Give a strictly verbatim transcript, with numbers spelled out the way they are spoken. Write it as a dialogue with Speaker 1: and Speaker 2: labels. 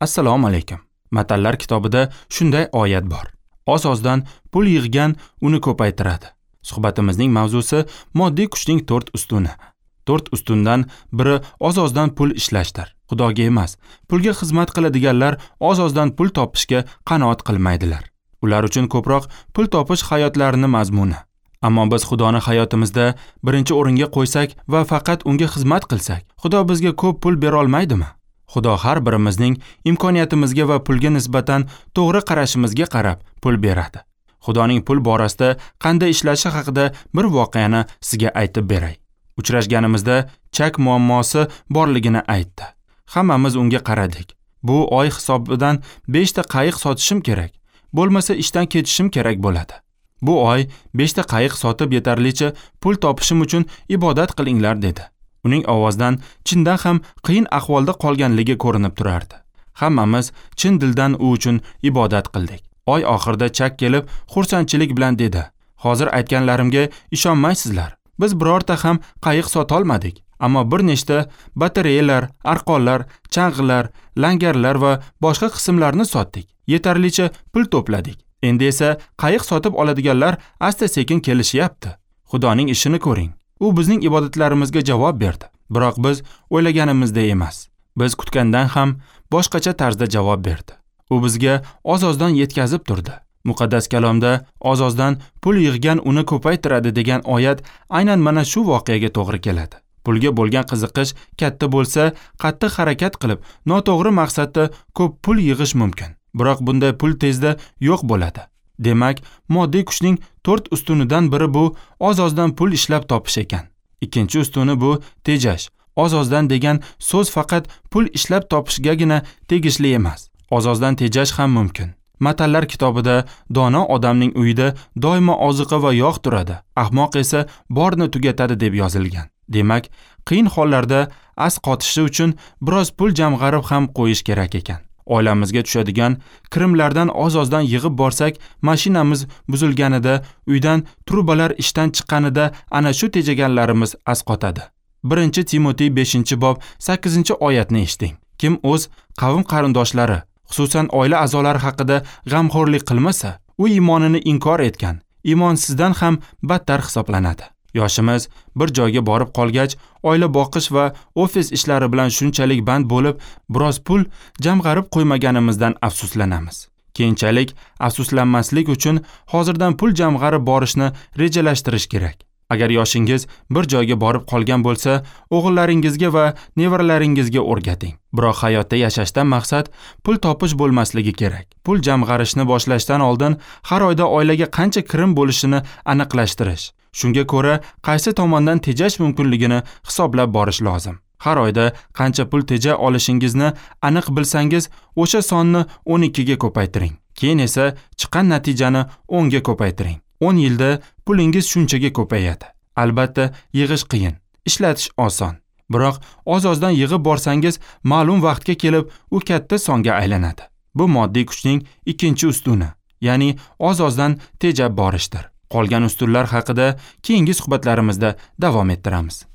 Speaker 1: Assalomu alaykum. Matallar kitobida shunday oyat bor. Oz-ozdan pul yig'gan uni ko'paytiradi. Suhbatimizning mavzusi moddiy kuchning to'rt ustuni. To'rt ustundan biri oz-ozdan pul ishlashdir. Xudoga emas, pulga xizmat qiladiganlar oz-ozdan pul topishga qanoat qilmaydilar. Ular uchun ko'proq pul topish hayotlarining mazmuni. Ammo biz Xudoni hayotimizda birinchi o'ringa qo'ysak va faqat unga xizmat qilsak, Xudo bizga ko'p pul bera olmaydimi? Xudo har birimizning imkoniyatimizga va pulga nisbatan to'g'ri qarashimizga qarab pul beradi. Xudoning pul borasida qanday ishlashi haqida bir voqeani sizga aytib beray. Uchrashganimizda chak muammosi borligini aytdi. Hammamiz unga qaradik. Bu oy hisobidan besh ta qayiq sotishim kerak. Bo'lmasa ishdan ketishim kerak bo'ladi. Bu oy besh ta qayiq sotib yetarlicha pul topishim uchun ibodat qilinglar dedi. Uning ovozidan chindan ham qiyin ahvolda qolganligi ko'rinib turardi. Hammamiz chin dildan u uchun ibodat qildik. Oy oxirida chak kelib xursandchilik bilan dedi: "Hozir aytganlarimga ishonmaysizlar. Biz birorta ham qayiq sota olmadik, ammo bir nechta batareyalar, arqonlar, chang'ilar, langarlar va boshqa qismlarni sotdik. Yetarlicha pul to'pladik. Endi esa qayiq sotib oladiganlar asta-sekin kelishyapti. Xudoning ishini ko'ring. U bizning ibodatlarimizga javob berdi. Biroq biz o'ylaganimizdek emas. Biz kutgandan ham boshqacha tarzda javob berdi. U bizga oz-ozdan yetkazib turdi. Muqaddas kalomda oz-ozdan pul yig'gan uni ko'paytiradi degan oyat aynan mana shu voqeaga to'g'ri keladi. Pulga bo'lgan qiziqish katta bo'lsa, qattiq harakat qilib, noto'g'ri maqsadda ko'p pul yig'ish mumkin. Biroq bunday pul tezda yo'q bo'ladi. Demak, moddiy kuchning to'rt ustunidan biri bu oz-ozdan pul ishlab topish ekan. Ikkinchi ustuni bu tejash. Oz-ozdan degan so'z faqat pul ishlab topishgagina tegishli emas. Oz-ozdan tejash ham mumkin. Matallar kitobida dono odamning uyida doimo oziqa va yog' turadi, ahmoq esa borni tugatadi deb yozilgan. Demak, qiyin hollarda as qotishi uchun biroz pul jamg'arib ham qo'yish kerak ekan. Oilamizga tushadigan kirimlardan oz-ozdan yig'ib borsak, mashinamiz buzilganida, uydan trubalar ishdan chiqqanida ana shu tejaganlarimiz as qotadi. Birinchi Timotey beshinchi bob sakkizinchi oyatni eshiting. Kim o'z qavm qarindoshlari, xususan oila a'zolari haqida g'amxo'rlik qilmasa, u iymonini inkor etgan, iymonsizdan ham battar hisoblanadi. Yoshimiz bir joyga borib qolgach, oila boqish va ofis ishlari bilan shunchalik band bo'lib, biroz pul jamg'arib qo'ymaganimizdan afsuslanamiz. Keyinchalik afsuslanmaslik uchun hozirdan pul jamg'arib borishni rejalashtirish kerak. Agar yoshingiz bir joyga borib qolgan bo'lsa, o'g'illaringizga va nevaralaringizga o'rgating. Biroq hayotda yashashdan maqsad pul topish bo'lmasligi kerak. Pul jamg'arishni boshlashdan oldin har oyda oilaga qancha kirim bo'lishini aniqlashtirish. Shunga ko'ra qaysi tomondan tejash mumkinligini hisoblab borish lozim. Har oyda qancha pul teja olishingizni aniq bilsangiz, o'sha sonni o'n ikkiga ko'paytiring. Keyin esa chiqqan natijani o'nga ko'paytiring. o'n yilda pulingiz shunchaga ko'payadi. Albatta, yig'ish qiyin, ishlatish oson. Biroq oz-ozdan yig'ib borsangiz, ma'lum vaqtga kelib u katta songa aylanadi. Bu moddiy kuchning ikkinchi ustuni, ya'ni oz-ozdan tejab borishdir. Qolgan ustunlar haqida keyingi suhbatlarimizda davom ettiramiz.